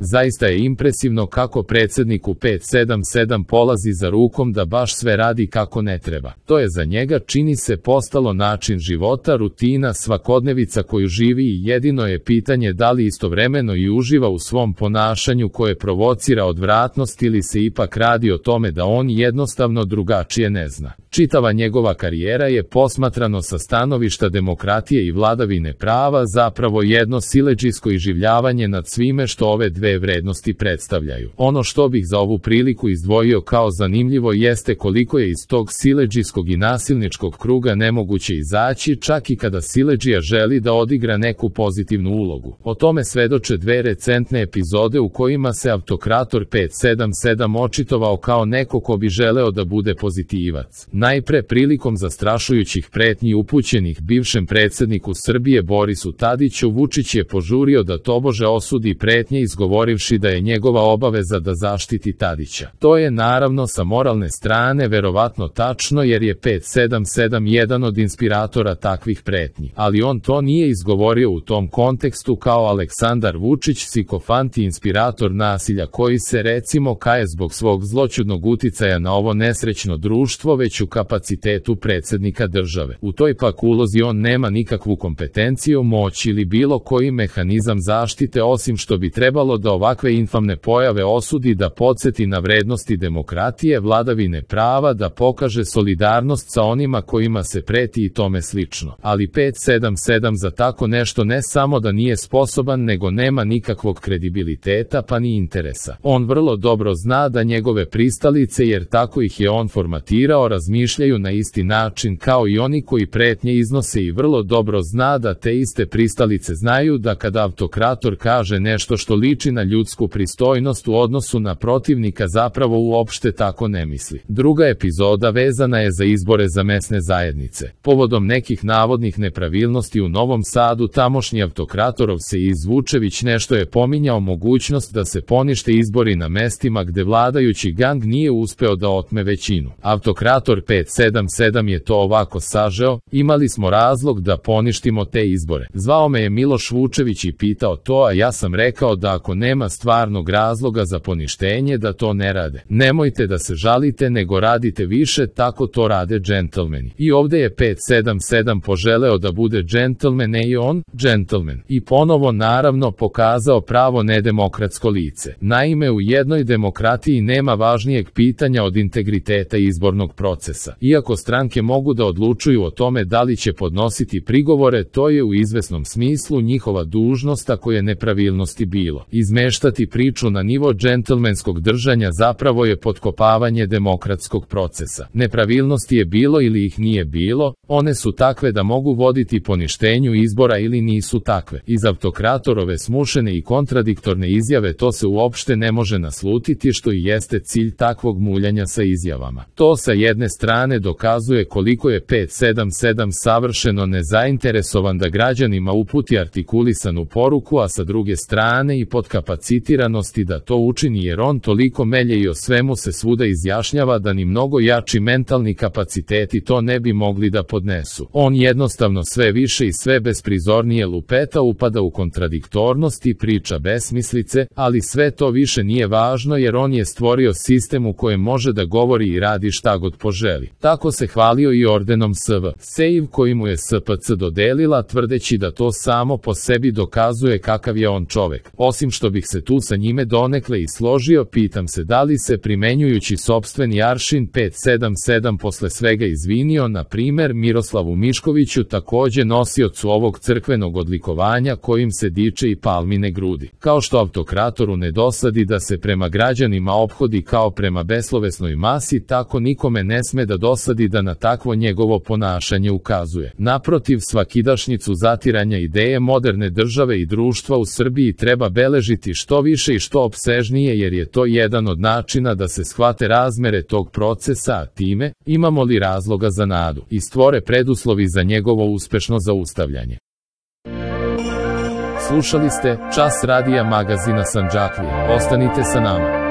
Zaista je impresivno kako predsjedniku 577 polazi za rukom da baš sve radi kako ne treba. To je za njega, čini se, postalo način života, rutina, svakodnevica koju živi i jedino je pitanje da li istovremeno i uživa u svom ponašanju koje provocira odvratnost ili se ipak radi o tome da on jednostavno drugačije ne zna. Čitava njegova karijera je, posmatrano sa stanovišta demokratije i vladavine prava, zapravo jedno siledžijsko iživljavanje nad svime što ove dve vrednosti predstavljaju. Ono što bih za ovu priliku izdvojio kao zanimljivo jeste koliko je iz tog siledžijskog i nasilničkog kruga nemoguće izaći, čak i kada siledžija želi da odigra neku pozitivnu ulogu. O tome svedoče dve recentne epizode u kojima se autokrator 577 očitovao kao neko ko bi želeo da bude pozitivac. Najpre prilikom zastrašujućih pretnji upućenih bivšem predsjedniku Srbije Borisu Tadiću, Vučić je požurio da tobože osudi pretnje izgovorivši da je njegova obaveza da zaštiti Tadića. To je naravno sa moralne strane verovatno tačno jer je 577 jedan od inspiratora takvih pretnji, ali on to nije izgovorio u tom kontekstu kao Aleksandar Vučić, psihofant i inspirator nasilja koji se recimo kaje zbog svog zloćudnog uticaja na ovo nesrećno društvo, već u kapacitetu predsjednika države. U toj pak ulozi on nema nikakvu kompetenciju, moć ili bilo koji mehanizam zaštite osim što bi trebalo da ovakve infamne pojave osudi, da podsjeti na vrednosti demokratije, vladavine prava, da pokaže solidarnost sa onima kojima se preti i tome slično. Ali 577 za tako nešto ne samo da nije sposoban, nego nema nikakvog kredibiliteta pa ni interesa. On vrlo dobro zna da njegove pristalice, jer tako ih je on formatirao, razmišljaju na isti način kao i oni koji pretnje iznose i vrlo dobro zna da te iste pristalice znaju da kada autokrator kaže nešto što liči na ljudsku pristojnost u odnosu na protivnika zapravo uopšte tako ne misli. Druga epizoda vezana je za izbore za mesne zajednice. Povodom nekih navodnih nepravilnosti u Novom Sadu tamošnji autokratorov se Vučević nešto je pominjao mogućnost da se ponište izbori na mestima gde vladajući gang nije uspeo da otme većinu. Autokrator 577 je to ovako sažeo: imali smo razlog da poništimo te izbore. Zvao me je Miloš Vučević i pitao to, a ja sam rekao da ako nema stvarnog razloga za poništenje da to ne rade. Nemojte da se žalite, nego radite više, tako to rade džentlmeni. I ovde je 577 poželeo da bude džentlmen, i on, džentlmen. I ponovo naravno pokazao pravo nedemokratsko lice. Naime, u jednoj demokratiji nema važnijeg pitanja od integriteta izbornog procesa. Iako stranke mogu da odlučuju o tome da li će podnositi prigovore, to je u izvesnom smislu njihova dužnost ako je nepravilnosti bilo. Izmeštati priču na nivo džentlmenskog držanja zapravo je potkopavanje demokratskog procesa. Nepravilnosti je bilo ili ih nije bilo, one su takve da mogu voditi poništenju izbora ili nisu takve. Iz autokratorove smušene i kontradiktorne izjave to se uopšte ne može naslutiti, što i jeste cilj takvog muljanja sa izjavama. To sa jedne strane dokazuje koliko je 577 savršeno nezainteresovan da građanima uputi artikulisanu poruku, a sa druge strane i podkapacitiranosti da to učini jer on toliko melje i o svemu se svuda izjašnjava da ni mnogo jači mentalni kapaciteti to ne bi mogli da podnesu. On jednostavno sve više i sve besprizornije lupeta, upada u kontradiktornost i priča besmislice, ali sve to više nije važno jer on je stvorio sistem u kojem može da govori i radi šta god poželi. Tako se hvalio i ordenom SV. Sejv koji mu je SPC dodelila, tvrdeći da to samo po sebi dokazuje kakav je on čovek. Osim što bih se tu sa njime donekle i složio, pitam se da li se primenjujući sopstveni aršin 577 posle svega izvinio, na primer Miroslavu Miškoviću, takođe nosiocu ovog crkvenog odlikovanja kojim se diče i palmine grudi. Kao što autokratoru ne dosadi da se prema građanima ophodi kao prema beslovesnoj masi, tako nikome ne sme da dosadi da na takvo njegovo ponašanje ukazuje. Naprotiv, svakidašnjicu zatiranja ideje moderne države i društva u Srbiji treba beležiti što više i što opsežnije, jer je to jedan od načina da se shvate razmere tog procesa, a time, imamo li razloga za nadu, i stvore preduslovi za njegovo uspešno zaustavljanje. Slušali ste Čas radija magazina Sandžaklija. Ostanite sa nama.